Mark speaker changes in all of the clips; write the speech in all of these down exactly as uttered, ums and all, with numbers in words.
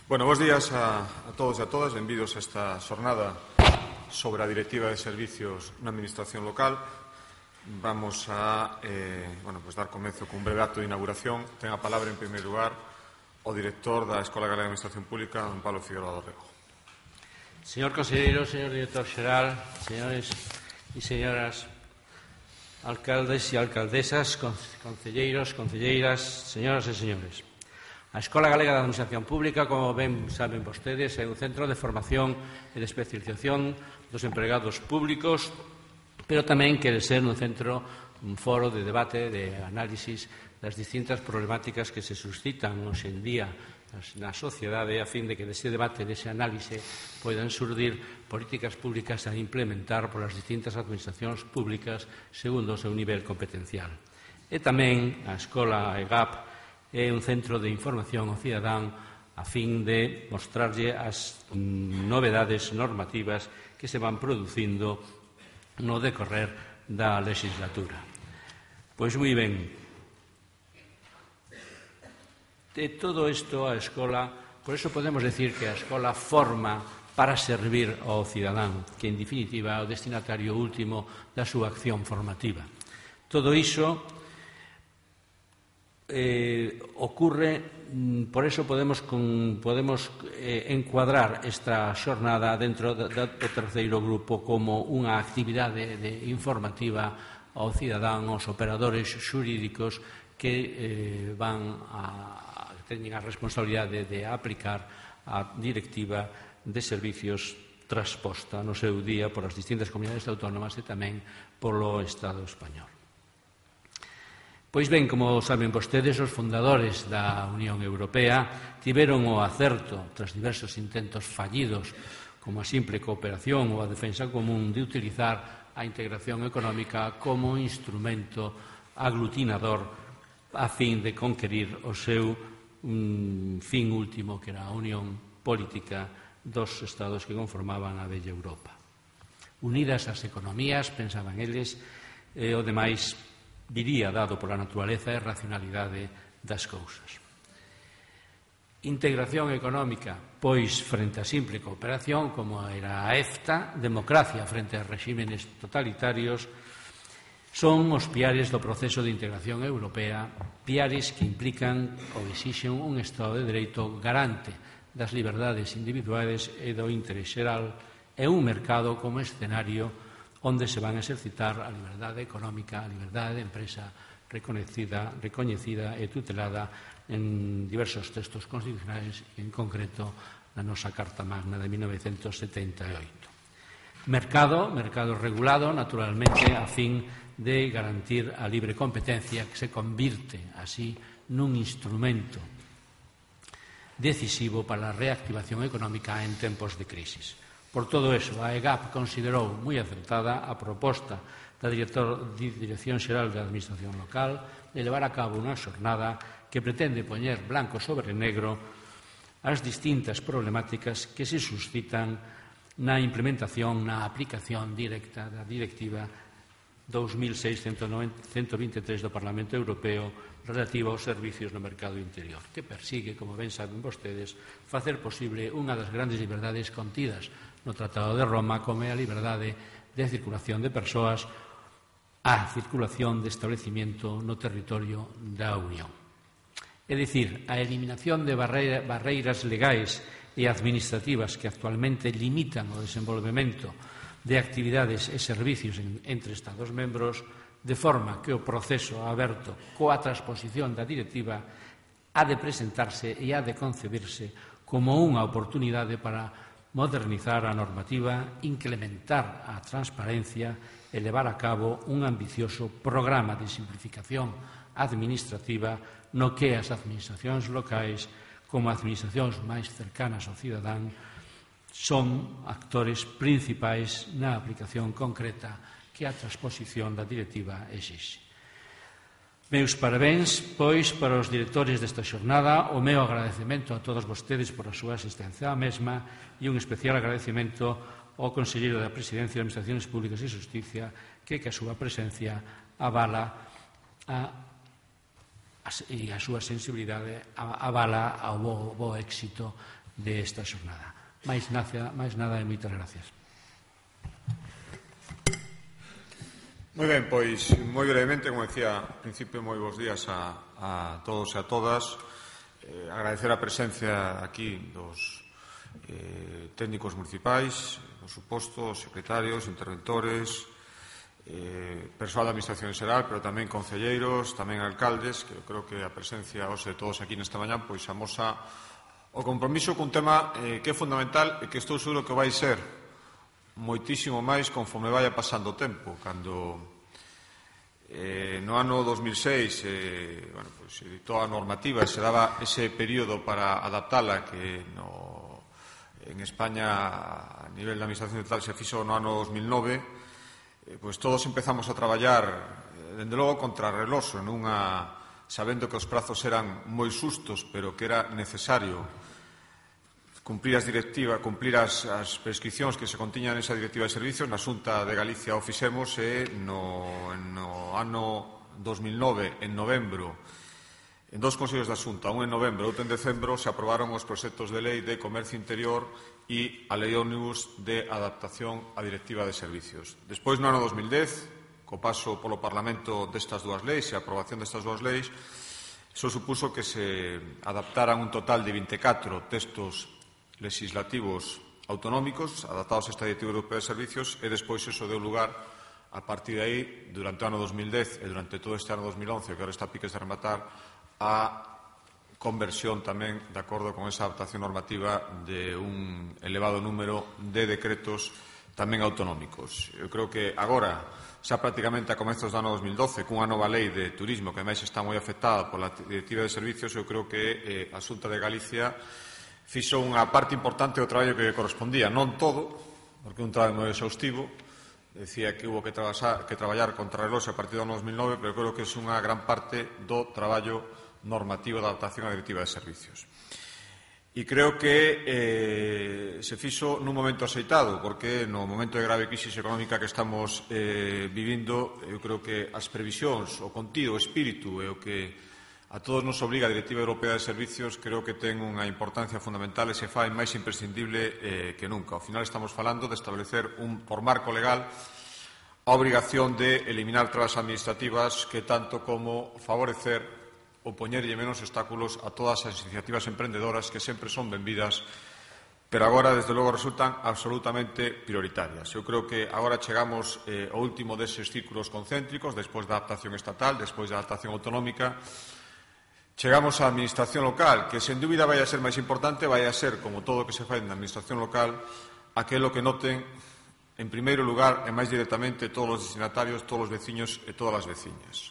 Speaker 1: Bueno, bons días a, a todos e a todas. Benvidos a esta xornada sobre a Directiva de Servicios na Administración Local. Vamos a eh, bueno, pues dar comezo cun breve acto de inauguración. Ten a palabra, en primeiro lugar, o director da Escola Galega de Administración Pública, don Pablo Figueroa do Rego.
Speaker 2: Señor conselleiro, señor director xeral, señores e señoras alcaldes e alcaldesas, concelleiros, concelleiras, señoras e señores. A Escola Galega de Administración Pública, como ben saben vostedes, é un centro de formación e de especialización dos empregados públicos, pero tamén quere ser un centro, un foro de debate, de análisis das distintas problemáticas que se suscitan hoxe en día na sociedade, a fin de que dese debate, dese análise, poidan surdir políticas públicas a implementar polas distintas administracións públicas segundo o seu nivel competencial. E tamén a Escola E G A P é un centro de información ao cidadán a fin de mostrarlle as novedades normativas que se van producindo no decorrer da legislatura. Pois moi ben, de todo isto a escola, por eso podemos decir que a escola forma para servir ao cidadán, que en definitiva é o destinatario último da súa acción formativa. Todo iso Eh, ocurre, por eso podemos, con, podemos eh, encuadrar esta xornada dentro do, do terceiro grupo como unha actividade de informativa ao cidadán, aos operadores xurídicos que eh, van a, teñen a responsabilidade de aplicar a Directiva de Servicios transposta no seu día por as distintas comunidades autónomas e tamén polo Estado español. Pois ben, como saben vostedes, os fundadores da Unión Europea tiveron o acerto, tras diversos intentos fallidos, como a simple cooperación ou a defensa común, de utilizar a integración económica como instrumento aglutinador a fin de conquerir o seu um, fin último, que era a unión política dos estados que conformaban a bella Europa. Unidas as economías, pensaban eles, e o demais diría dado pola naturaleza e racionalidade das cousas. Integración económica, pois, frente a simple cooperación, como era a EFTA, democracia frente a regímenes totalitarios, son os piares do proceso de integración europea, piares que implican ou exixen un Estado de Dereito garante das liberdades individuais e do interés xeral e un mercado como escenario onde se van a exercitar a liberdade económica, a liberdade de empresa reconhecida, recoñecida e tutelada en diversos textos constitucionais, en concreto na nosa Carta Magna de mil novecentos setenta e oito. Mercado, mercado regulado, naturalmente, a fin de garantir a libre competencia que se convirte así nun instrumento decisivo para a reactivación económica en tempos de crisis. Por todo eso, a E G A P considerou moi acertada a proposta da Director, Dirección Xeral da Administración Local de levar a cabo unha xornada que pretende poñer blanco sobre negro as distintas problemáticas que se suscitan na implementación, na aplicación directa da Directiva dous mil seis cento vinte e tres do Parlamento Europeo relativa aos servicios no mercado interior, que persigue, como ben saben vostedes, facer posible unha das grandes liberdades contidas no Tratado de Roma, como é a liberdade de circulación de persoas, a circulación de establecimiento no territorio da Unión. É dicir, a eliminación de barreiras legais e administrativas que actualmente limitan o desenvolvemento de actividades e servicios entre Estados membros, de forma que o proceso aberto coa transposición da directiva ha de presentarse e ha de concebirse como unha oportunidade para modernizar a normativa, incrementar a transparencia e levar a cabo un ambicioso programa de simplificación administrativa no que as administracións locais, como administracións máis cercanas ao cidadán, son actores principais na aplicación concreta que a transposición da directiva exixe. Meus parabéns, pois, para os directores desta xornada, o meu agradecemento a todos vostedes por a súa asistencia á mesma e un especial agradecemento ao conselleiro da Presidencia de Administraciones Públicas e Xusticia, que, que a súa presencia avala a e a súa sensibilidade avala ao bo, bo éxito desta xornada. Mais, máis nada e moitas gracias.
Speaker 1: Moi ben, pois, moi brevemente, como decía ao principio, moi bons días a, a todos e a todas. Eh, agradecer a presencia aquí dos eh, técnicos municipais, por suposto, secretarios, interventores, eh, persoal da Administración Xeral, pero tamén concelleiros, tamén alcaldes, que eu creo que a presencia hoxe de todos aquí nesta mañá pois amosa o compromiso cun tema eh, que é fundamental e que estou seguro que vai ser moitísimo máis conforme vaya pasando o tempo. Cando eh, no ano dos mil seis eh, bueno, pues, se editou a normativa e se daba ese período para adaptala, que no, en España a nivel da Administración Central se fixo no ano dos mil nove, eh, pues todos empezamos a traballar eh, dende logo contra reloxo, nunha, sabendo que os prazos eran moi sustos, pero que era necesario cumplir as directivas, cumplir as, as prescripcións que se contiñan nesa directiva de servicios. Na Xunta de Galicia o fixemos e no, no ano dos mil nove, en novembro, en dos consellos da Xunta, un en novembro e outro en decembro, se aprobaron os proxectos de lei de comercio interior e a lei ómnibus de adaptación á directiva de servicios. Despois, no ano dos mil dez, co paso polo Parlamento destas dúas leis e a aprobación destas dúas leis, iso supuso que se adaptaran un total de vinte e catro textos legislativos autonómicos adaptados a esta Directiva Europea de Servicios, e despois eso deu lugar, a partir de aí, durante o ano dos mil dez e durante todo este ano dos mil once, que agora está a piques de rematar, a conversión tamén, de acordo con esa adaptación normativa, de un elevado número de decretos tamén autonómicos. Eu creo que agora, xa prácticamente a comezos do ano dos mil doce, cunha nova lei de turismo que máis está moi afectada pola Directiva de Servicios, eu creo que eh, a Xunta de Galicia fixo unha parte importante do traballo que correspondía, non todo, porque un traballo moi exhaustivo. Decía que hubo que, trabasar, que traballar contra reloxo a partir do ano dos mil nove, pero creo que é unha gran parte do traballo normativo de adaptación á Directiva de Servicios. E creo que eh, se fixo nun momento aceitado, porque no momento de grave crisis económica que estamos eh, vivindo, eu creo que as previsións, o contido, o espírito e o que a todos nos obriga a Directiva Europea de Servicios, creo que ten unha importancia fundamental e se fai máis imprescindible eh, que nunca. Ao final estamos falando de establecer un, por marco legal a obrigación de eliminar trabas administrativas que tanto como favorecer ou poñerlle menos obstáculos a todas as iniciativas emprendedoras que sempre son benvidas, pero agora, desde logo, resultan absolutamente prioritarias. Eu creo que agora chegamos eh, ao último deses círculos concéntricos, despois da adaptación estatal, despois da adaptación autonómica. Chegamos á administración local, que sen dúbida vai a ser máis importante, vai a ser, como todo o que se fai na administración local, aquelo que noten, en primeiro lugar, e máis directamente, todos os destinatarios, todos os veciños e todas as veciñas.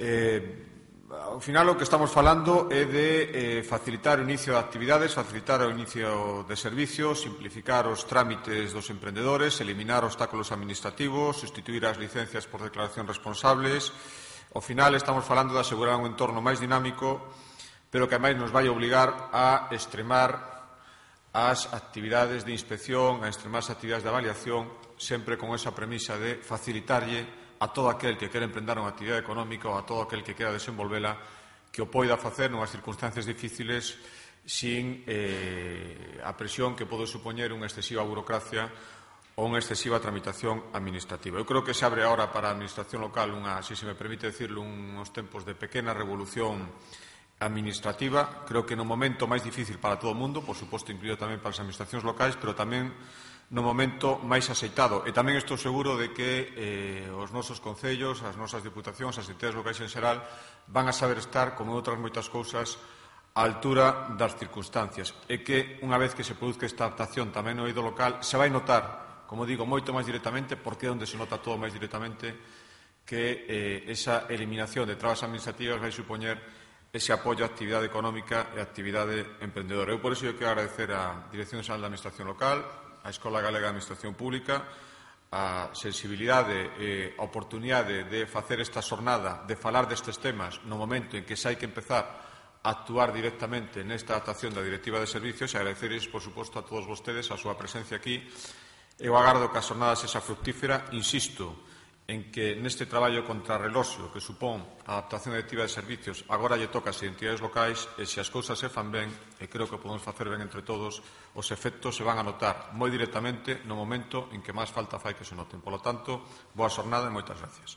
Speaker 1: Eh, ao final, o que estamos falando é de eh, facilitar o inicio de actividades, facilitar o inicio de servicios, simplificar os trámites dos emprendedores, eliminar obstáculos administrativos, sustituir as licencias por declaracións responsables. Ao final estamos falando de asegurar un entorno máis dinámico, pero que ademais nos vai obligar a extremar as actividades de inspección, a extremar as actividades de avaliación, sempre con esa premisa de facilitarlle a todo aquel que quere emprender unha actividade económica ou a todo aquel que quera desenvolvela que o poida facer nunhas circunstancias difíciles sin eh, a presión que pode supoñer unha excesiva burocracia ou unha excesiva tramitación administrativa. Eu creo que se abre agora para a administración local unha, se se me permite decirlo, uns tempos de pequena revolución administrativa. Creo que no momento máis difícil para todo o mundo, por suposto incluído tamén para as administracións locais, pero tamén no momento máis aceitado. E tamén estou seguro de que eh, os nosos concellos, as nosas diputacións, as entidades locais en xeral, van a saber estar, como outras moitas cousas, á altura das circunstancias. E que, unha vez que se produzca esta adaptación tamén no eido local, se vai notar, como digo, moito máis directamente, porque é onde se nota todo máis directamente, que eh, esa eliminación de trabas administrativas vai supoñer ese apoio á actividade económica e á actividade emprendedora. Eu, por iso, eu quero agradecer á Dirección Xeral da Administración Local, á Escola Galega de Administración Pública, a sensibilidade e a oportunidade de facer esta xornada, de falar destes temas no momento en que se hai que empezar a actuar directamente nesta adaptación da Directiva de Servicios, e agradecerles, por suposto, a todos vostedes a súa presencia aquí. Eu agardo que a xornada sexa fructífera, insisto, en que neste traballo contrarreloxo que supón a adaptación directiva de servicios agora lle toca ás entidades locais e se as cousas se fan ben, e creo que podemos facer ben entre todos, os efectos se van a notar moi directamente no momento en que máis falta fai que se noten. Por lo tanto, boa xornada e moitas gracias.